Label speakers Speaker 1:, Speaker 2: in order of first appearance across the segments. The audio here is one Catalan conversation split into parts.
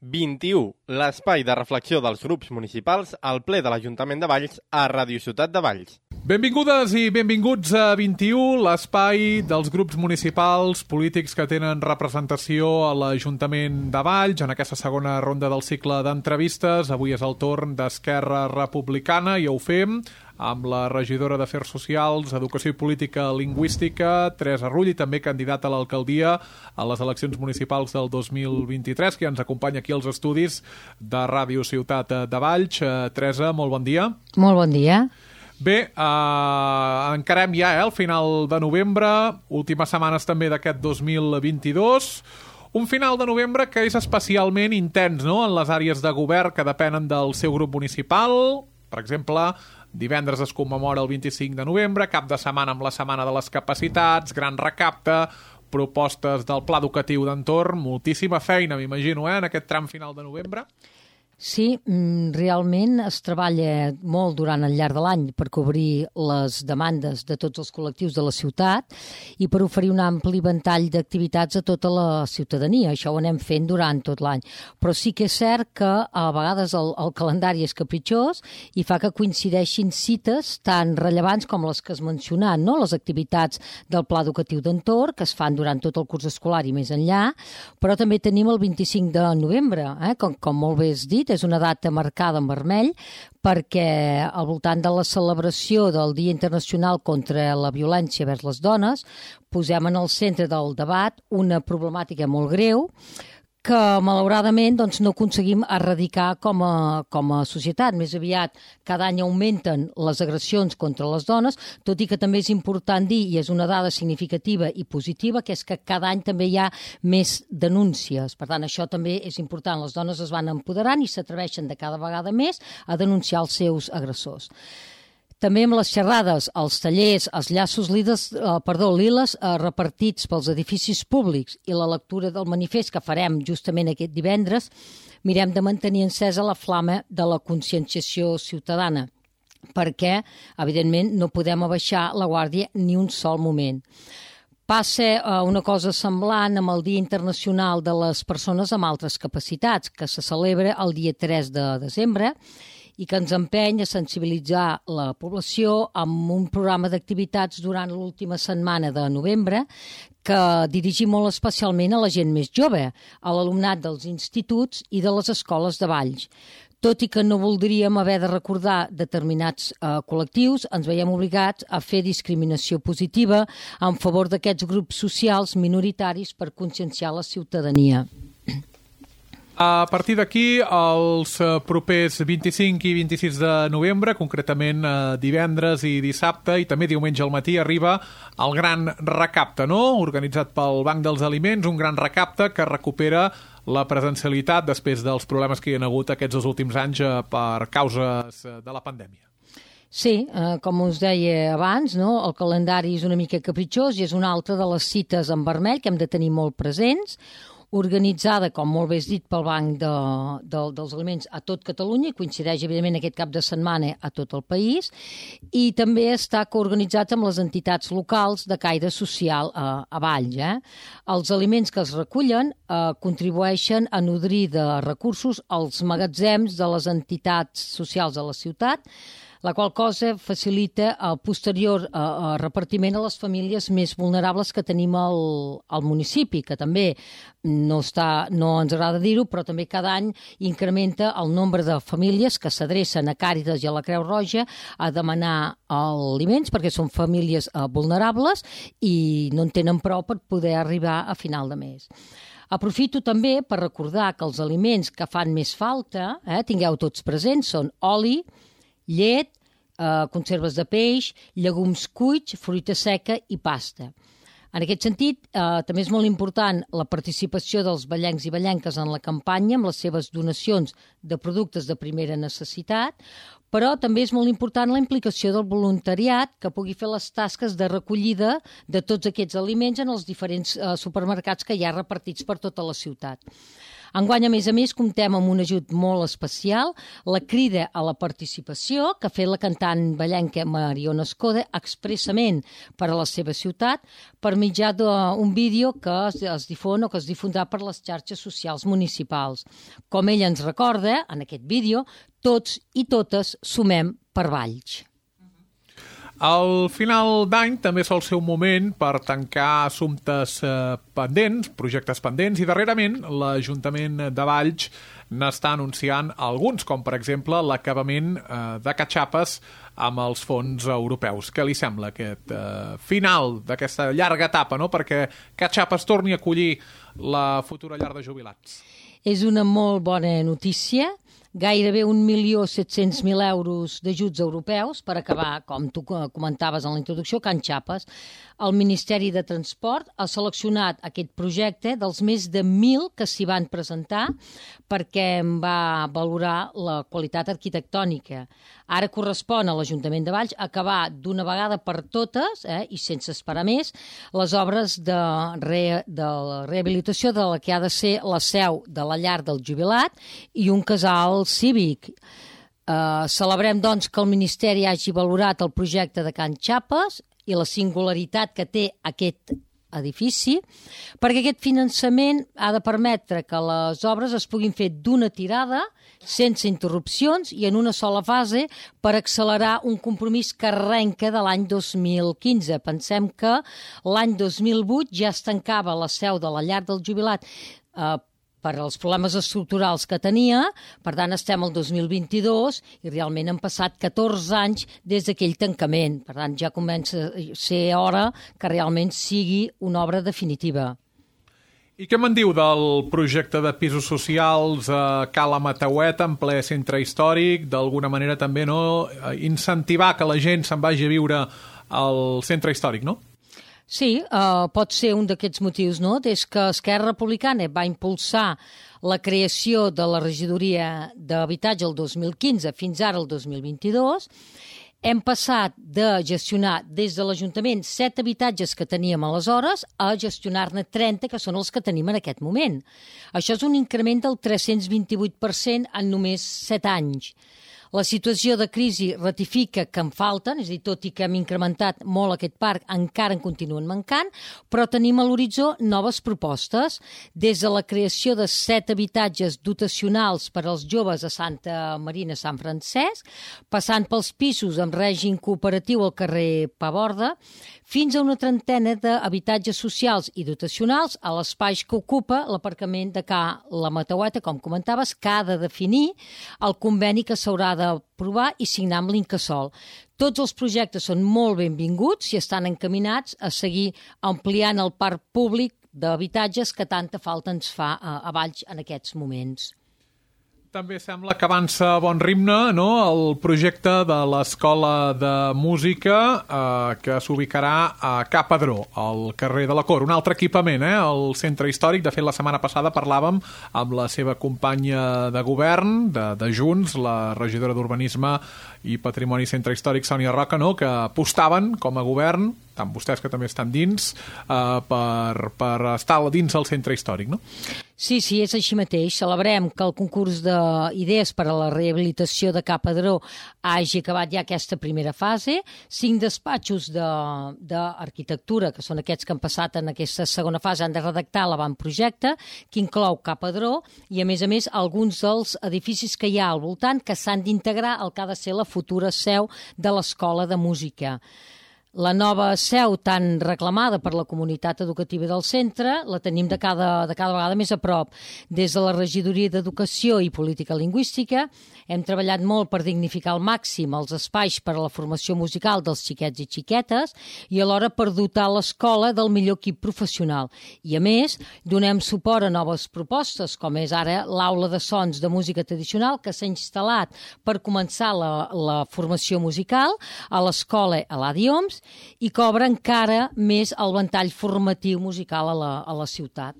Speaker 1: 21, l'espai de reflexió dels grups municipals al ple de l'Ajuntament de Valls a Ràdio Ciutat de Valls.
Speaker 2: Benvingudes i benvinguts a 21, l'espai dels grups municipals polítics que tenen representació a l'Ajuntament de Valls. En aquesta segona ronda del cicle d'entrevistes, avui és el torn d'Esquerra Republicana i ho fem amb la regidora d'Afers Socials, Educació i Política Lingüística, Teresa Rull, i també candidata a l'alcaldia a les eleccions municipals del 2023, que ens acompanya aquí als estudis de Ràdio Ciutat de Valls. Teresa, molt bon dia.
Speaker 3: Molt bon dia.
Speaker 2: Bé, encarem ja el final de novembre, últimes setmanes també d'aquest 2022, un final de novembre que és especialment intens, no?, en les àrees de govern que depenen del seu grup municipal. Per exemple, divendres es commemora el 25 de novembre, cap de setmana amb la Setmana de les Capacitats, gran recapte, propostes del Pla Educatiu d'Entorn, moltíssima feina, m'imagino, en aquest tram final de novembre.
Speaker 3: Sí, realment es treballa molt durant el llarg de l'any per cobrir les demandes de tots els col·lectius de la ciutat i per oferir un ampli ventall d'activitats a tota la ciutadania. Això ho anem fent durant tot l'any. Però sí que és cert que a vegades el calendari és capritxós i fa que coincideixin cites tan rellevants com les que has mencionat, no? Les activitats del Pla Educatiu d'Entorn, que es fan durant tot el curs escolar i més enllà, però també tenim el 25 de novembre, com molt bé has dit, és una data marcada en vermell perquè al voltant de la celebració del Dia Internacional contra la Violència vers les Dones posem en el centre del debat una problemàtica molt greu que malauradament no aconseguim erradicar com a societat. Més aviat cada any augmenten les agressions contra les dones, tot i que també és important dir, i és una dada significativa i positiva, que és que cada any també hi ha més denúncies. Per tant, això també és important. Les dones es van empoderant i s'atreveixen de cada vegada més a denunciar els seus agressors. També amb les xerrades, els tallers, els llaços liles repartits pels edificis públics i la lectura del manifest que farem justament aquest divendres, mirem de mantenir encesa la flama de la conscienciació ciutadana, perquè, evidentment, no podem abaixar la guàrdia ni un sol moment. Passa una cosa semblant amb el Dia Internacional de les Persones amb Altres Capacitats, que se celebra el dia 3 de desembre, i que ens empeny a sensibilitzar la població amb un programa d'activitats durant l'última setmana de novembre que dirigim molt especialment a la gent més jove, a l'alumnat dels instituts i de les escoles de Valls. Tot i que no voldríem haver de recordar determinats col·lectius, ens veiem obligats a fer discriminació positiva en favor d'aquests grups socials minoritaris per conscienciar la ciutadania.
Speaker 2: A partir d'aquí, els propers 25 i 26 de novembre, concretament divendres i dissabte i també diumenge al matí, arriba el gran recapte, no?, organitzat pel Banc dels Aliments, un gran recapte que recupera la presencialitat després dels problemes que hi ha hagut aquests dos últims anys per causes de la pandèmia.
Speaker 3: Sí, com us deia abans, no? El calendari és una mica capritxós i és una altra de les cites en vermell que hem de tenir molt presents, organitzada, com molt bé has dit, pel Banc dels Aliments a tot Catalunya, i coincideix, evidentment, aquest cap de setmana a tot el país, i també està coorganitzat amb les entitats locals de caire social a Valls. Els aliments que es recullen contribueixen a nodrir de recursos els magatzems de les entitats socials de la ciutat, la qual cosa facilita el posterior repartiment a les famílies més vulnerables que tenim al municipi, que també no ens agrada dir-ho, però també cada any incrementa el nombre de famílies que s'adrecen a Càritas i a la Creu Roja a demanar aliments, perquè són famílies vulnerables i no en tenen prou per poder arribar a final de mes. Aprofito també per recordar que els aliments que fan més falta, tingueu tots presents, són oli, llet, conserves de peix, llegums cuits, fruita seca i pasta. En aquest sentit, també és molt important la participació dels vallencs i vallenques en la campanya amb les seves donacions de productes de primera necessitat, però també és molt important la implicació del voluntariat que pugui fer les tasques de recollida de tots aquests aliments en els diferents supermercats que hi ha repartits per tota la ciutat. Enguany, a més, comptem amb un ajut molt especial, la crida a la participació que ha fet la cantant ballenca Mariona Escoda expressament per a la seva ciutat per mitjà d'un vídeo que es difon o que es difondrà per les xarxes socials municipals. Com ella ens recorda, en aquest vídeo, tots i totes sumem per Valls.
Speaker 2: Al final d'any també sol ser un moment per tancar assumptes pendents, projectes pendents, i darrerament l'Ajuntament de Valls n'està anunciant alguns, com per exemple l'acabament de Catxapes amb els fons europeus. Què li sembla aquest final d'aquesta llarga etapa, no? Perquè Catxapes torni a acollir la futura llar de jubilats?
Speaker 3: És una molt bona notícia. Gairebé 1.700.000 euros d'ajuts europeus per acabar, com tu comentaves en la introducció, Can Xapes. El Ministeri de Transport ha seleccionat aquest projecte dels més de 1.000 que s'hi van presentar perquè en va valorar la qualitat arquitectònica. Ara correspon a l'Ajuntament de Valls acabar d'una vegada per totes, i sense esperar més, les obres de rehabilitació de la que ha de ser la seu de la llar del jubilat i un casal cívic. Celebrem, doncs, que el Ministeri hagi valorat el projecte de Can Xapes i la singularitat que té aquest edifici, perquè aquest finançament ha de permetre que les obres es puguin fer d'una tirada, sense interrupcions i en una sola fase per accelerar un compromís que arrenca de l'any 2015. Pensem que l'any 2008 ja es tancava la seu de la llar del jubilat per als problemes estructurals que tenia, per tant estem al 2022 i realment han passat 14 anys des d'aquell tancament. Per tant ja comença a ser hora que realment sigui una obra definitiva.
Speaker 2: I què me'n diu del projecte de pisos socials a Cala Mataueta, en ple centre històric, d'alguna manera també incentivar que la gent se'n vagi a viure al centre històric, no?
Speaker 3: Sí, pot ser un d'aquests motius, no? Des que Esquerra Republicana va impulsar la creació de la regidoria d'habitatge el 2015 fins ara el 2022, hem passat de gestionar des de l'Ajuntament 7 habitatges que teníem aleshores a gestionar-ne 30, que són els que tenim en aquest moment. Això és un increment del 328% en només 7 anys. La situació de crisi ratifica que en falten, és a dir, tot i que hem incrementat molt aquest parc, encara en continuen mancant, però tenim a l'horitzó noves propostes, des de la creació de 7 habitatges dotacionals per als joves a Santa Marina, Sant Francesc, passant pels pisos amb règim cooperatiu al carrer Paborda, fins a una trentena d'habitatges socials i dotacionals a l'espai que ocupa l'aparcament de Cala Mataueta, com comentaves, que ha de definir el conveni que s'haurà d'aprovar i signar amb l'Incasòl. Tots els projectes són molt benvinguts i estan encaminats a seguir ampliant el parc públic d'habitatges que tanta falta ens fa a Valls en aquests moments.
Speaker 2: També sembla que avança a bon ritme, no?, el projecte de l'Escola de Música que s'ubicarà a Ca Padró, al carrer de la Cor. Un altre equipament, al centre històric. De fet, la setmana passada parlàvem amb la seva companya de govern, de Junts, la regidora d'Urbanisme i Patrimoni Centre Històric, Sònia Roca, no?, que apostaven com a govern, tant vostès que també estan dins, per estar dins del centre històric, no?
Speaker 3: Sí, és així mateix. Celebrem que el concurs d'idees per a la rehabilitació de Ca Padró hagi acabat ja aquesta primera fase. 5 despatxos d'arquitectura, que són aquests que han passat en aquesta segona fase, han de redactar l'avantprojecte, que inclou Ca Padró, i a més, alguns dels edificis que hi ha al voltant que s'han d'integrar al que ha de ser la futura seu de l'Escola de Música. La nova seu tan reclamada per la comunitat educativa del centre la tenim de cada vegada més a prop. Des de la Regidoria d'Educació i Política Lingüística hem treballat molt per dignificar al màxim els espais per a la formació musical dels xiquets i xiquetes i alhora per dotar l'escola del millor equip professional. I a més, donem suport a noves propostes, com és ara l'aula de sons de música tradicional que s'ha instal·lat per començar la formació musical a l'escola Eladi Homs i que obre encara més el ventall formatiu musical a la ciutat.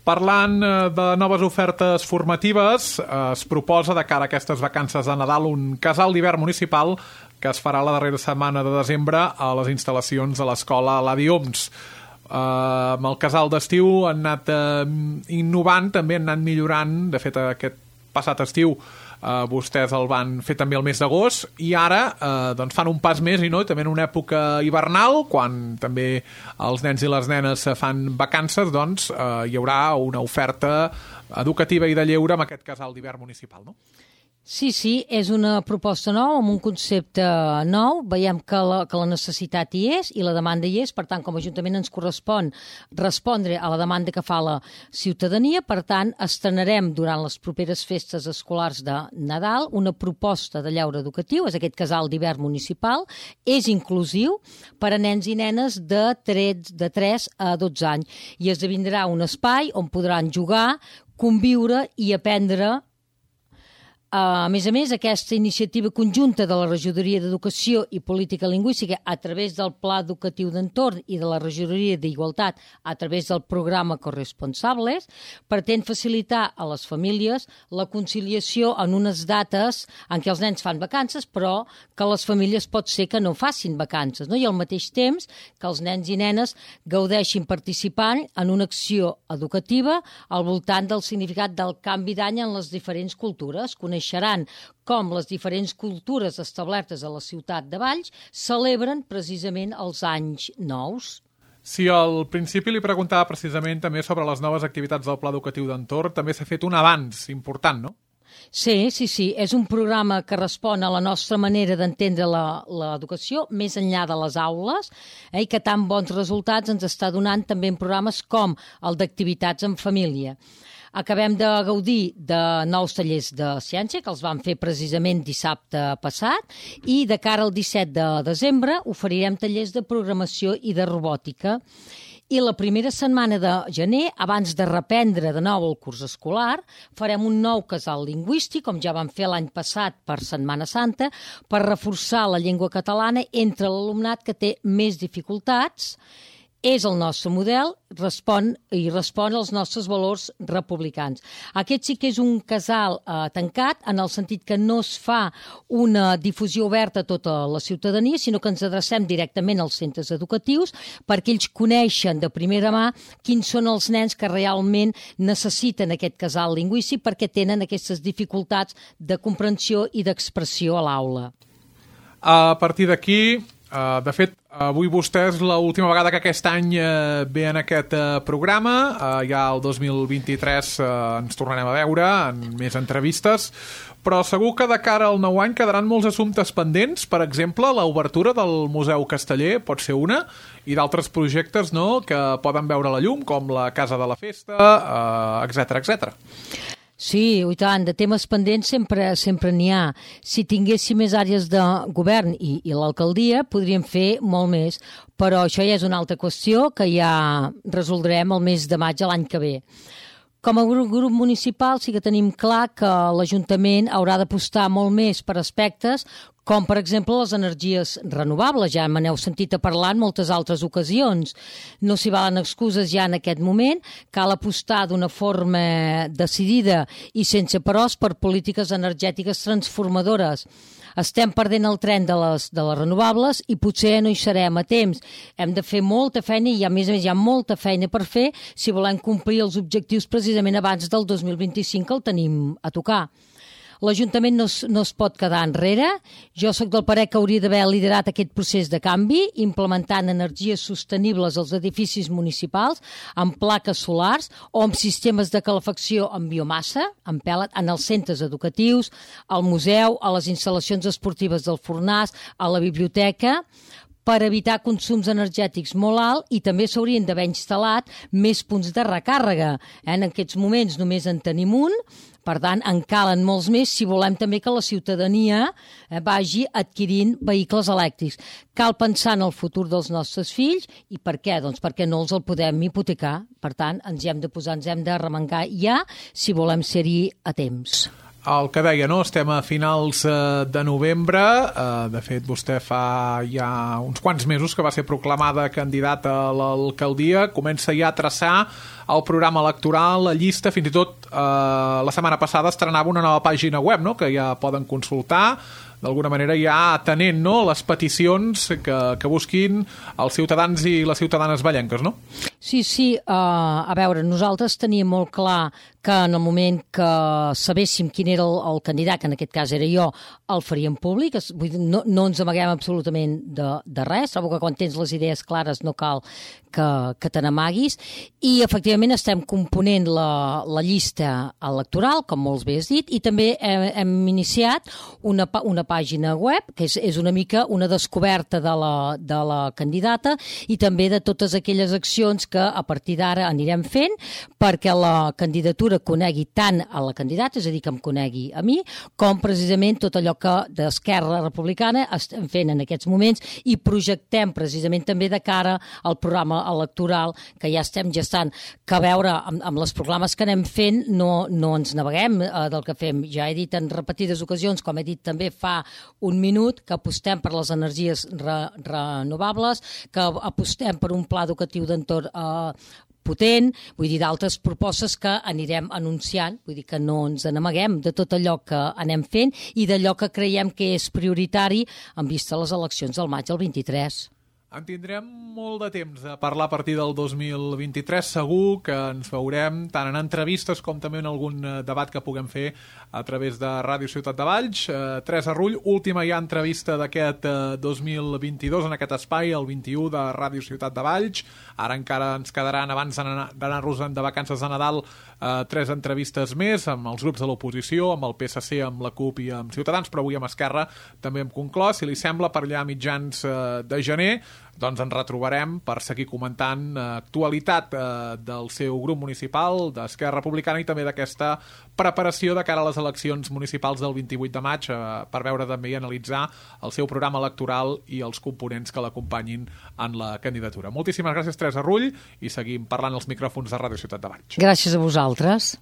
Speaker 2: Parlant de noves ofertes formatives, es proposa de cara a aquestes vacances de Nadal un casal d'hivern municipal que es farà la darrera setmana de desembre a les instal·lacions de l'escola Eladi Homs. Amb el casal d'estiu han anat innovant, també han anat millorant. De fet, aquest passat estiu vostès el van fer també el mes d'agost i ara doncs fan un pas més i també en una època hivernal, quan també els nens i les nenes fan vacances, doncs hi haurà una oferta educativa i de lleure amb aquest casal d'hivern municipal, no?
Speaker 3: Sí, és una proposta nova, amb un concepte nou. Veiem que la necessitat hi és i la demanda hi és. Per tant, com a Ajuntament ens correspon respondre a la demanda que fa la ciutadania. Per tant, estrenarem durant les properes festes escolars de Nadal una proposta de lleure educatiu. És aquest casal d'hivern municipal. És inclusiu per a nens i nenes de 3 a 12 anys. I esdevindrà un espai on podran jugar, conviure i aprendre. A més, aquesta iniciativa conjunta de la Regidoria d'Educació i Política Lingüística a través del Pla Educatiu d'Entorn i de la Regidoria d'Igualtat a través del programa Corresponsables pretén facilitar a les famílies la conciliació en unes dates en què els nens fan vacances, però que les famílies pot ser que no facin vacances, no? I al mateix temps que els nens i nenes gaudeixin participant en una acció educativa al voltant del significat del canvi d'any en les diferents cultures. Coneixeran com les diferents cultures establertes a la ciutat de Valls celebren precisament els anys nous.
Speaker 2: Sí, al principi li preguntava precisament també sobre les noves activitats del Pla Educatiu d'Entorn. També s'ha fet un avanç important, no?
Speaker 3: Sí. És un programa que respon a la nostra manera d'entendre l'educació, més enllà de les aules, i que tan bons resultats ens està donant també en programes com el d'activitats en família. Acabem de gaudir de nous tallers de ciència, que els vam fer precisament dissabte passat, i de cara al 17 de desembre oferirem tallers de programació i de robòtica. I la primera setmana de gener, abans de reprendre de nou el curs escolar, farem un nou casal lingüístic, com ja vam fer l'any passat per Setmana Santa, per reforçar la llengua catalana entre l'alumnat que té més dificultats. És el nostre model, respon als nostres valors republicans. Aquest sí que és un casal tancat, en el sentit que no es fa una difusió oberta a tota la ciutadania, sinó que ens adrecem directament als centres educatius perquè ells coneixen de primera mà quins són els nens que realment necessiten aquest casal lingüístic perquè tenen aquestes dificultats de comprensió i d'expressió a l'aula.
Speaker 2: A partir d'aquí, de fet, avui vostès l'última vegada que aquest any ve en aquest programa, ja el 2023 ens tornarem a veure en més entrevistes, però segur que de cara al nou any quedaran molts assumptes pendents. Per exemple, l'obertura del Museu Casteller pot ser una, i d'altres projectes, no?, que poden veure la llum, com la Casa de la Festa, etc.
Speaker 3: Sí, i tant, de temes pendents sempre n'hi ha. Si tinguéssim més àrees de govern i l'alcaldia, podríem fer molt més, però això ja és una altra qüestió que ja resoldrem el mes de maig de l'any que ve. Com a grup municipal sí que tenim clar que l'Ajuntament haurà d'apostar molt més per aspectes com, per exemple, les energies renovables. Ja me n'heu sentit a parlar en moltes altres ocasions. No s'hi valen excuses ja en aquest moment. Cal apostar d'una forma decidida i sense peròs per polítiques energètiques transformadores. Estem perdent el tren de les renovables i potser no hi serem a temps. Hem de fer molta feina i, a més, hi ha molta feina per fer si volem complir els objectius precisament abans del 2025 que el tenim a tocar. L'Ajuntament no es pot quedar enrere. Jo sóc del parer que hauria d'haver liderat aquest procés de canvi, implementant energies sostenibles als edificis municipals, amb plaques solars o amb sistemes de calefacció amb biomassa, amb pèl·let, en els centres educatius, al museu, a les instal·lacions esportives del Fornàs, a la biblioteca, per evitar consums energètics molt alts, i també s'haurien d'haver instal·lat més punts de recàrrega. En aquests moments només en tenim un, per tant, en calen molts més si volem també que la ciutadania vagi adquirint vehicles elèctrics. Cal pensar en el futur dels nostres fills. I per què? Doncs perquè no els el podem hipotecar. Per tant, ens hi hem de posar, ens hem d'arremangar ja si volem ser-hi a temps.
Speaker 2: El que deia, no? Estem a finals de novembre. De fet, vostè fa ja uns quants mesos que va ser proclamada candidata a l'alcaldia. Comença ja a traçar el programa electoral, la llista, fins i tot la setmana passada estrenava una nova pàgina web, no?, que ja poden consultar, d'alguna manera ja atenent, no?, les peticions que busquin els ciutadans i les ciutadanes vallenques, no?
Speaker 3: Sí, a veure, nosaltres teníem molt clar que en el moment que sabéssim quin era el candidat, que en aquest cas era jo, el faríem públic. Vull dir, no ens amaguem absolutament de res. Trobo que quan tens les idees clares no cal que te n'amaguis. I efectivament estem component la llista electoral, com molts bé has dit, i també hem iniciat una pàgina web, que és una mica una descoberta de la candidata i també de totes aquelles accions que a partir d'ara anirem fent perquè la candidatura conegui tant a la candidata, és a dir, que em conegui a mi, com precisament tot allò que d'Esquerra Republicana estem fent en aquests moments i projectem precisament també de cara al programa electoral que ja estem gestant, que a veure amb les proclames que anem fent no ens naveguem del que fem. Ja he dit en repetides ocasions, com he dit també fa un minut, que apostem per les energies renovables, que apostem per un pla educatiu d'entorn potent, vull dir, d'altres propostes que anirem anunciant, vull dir que no ens n'amaguem de tot allò que anem fent i d'allò que creiem que és prioritari en vista a les eleccions del maig del 23.
Speaker 2: En tindrem molt de temps a parlar a partir del 2023. Segur que ens veurem tant en entrevistes com també en algun debat que puguem fer a través de Ràdio Ciutat de Valls. Teresa Rull, última ja entrevista d'aquest 2022 en aquest espai, el 21 de Ràdio Ciutat de Valls. Ara encara ens quedaran, abans d'anar-nos de vacances de Nadal, 3 entrevistes més amb els grups de l'oposició, amb el PSC, amb la CUP i amb Ciutadans, però avui amb Esquerra també hem conclòs. Si li sembla, per allà a mitjans de gener, doncs ens retrobarem per seguir comentant actualitat del seu grup municipal, d'Esquerra Republicana, i també d'aquesta preparació de cara a les eleccions municipals del 28 de maig per veure també i analitzar el seu programa electoral i els components que l'acompanyin en la candidatura. Moltíssimes gràcies, Teresa Rull, i seguim parlant als micròfons de Ràdio Ciutat de Valls.
Speaker 3: Gràcies a vosaltres.